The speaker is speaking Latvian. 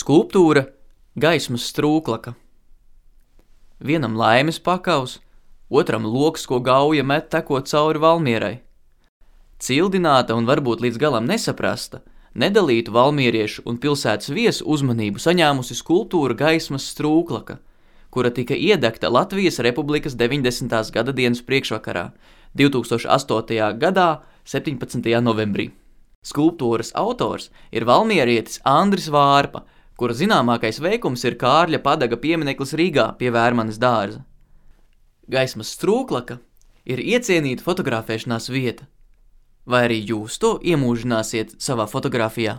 Skulptūra Gaismas strūklaka. Vienam laimes pakaus, otram loks, ko gauja met tekot cauri Valmierai. Cildināta un varbūt līdz galam nesaprasta, nedalītu valmieriešu un pilsētas viesu uzmanību saņēmusi skulptūra Gaismas strūklaka, kura tika iedegta Latvijas Republikas 90. gada dienas priekšvakarā, 2008. gadā, 17. novembrī. Skulptūras autors ir valmierietis Andris Vārpa, kura zināmākais veikums ir Kārļa Padaga piemineklis Rīgā pie Vērmanes dārza. Gaismas strūklaka ir iecienīta fotografēšanās vieta. Vai arī jūs to iemūžināsiet savā fotografijā?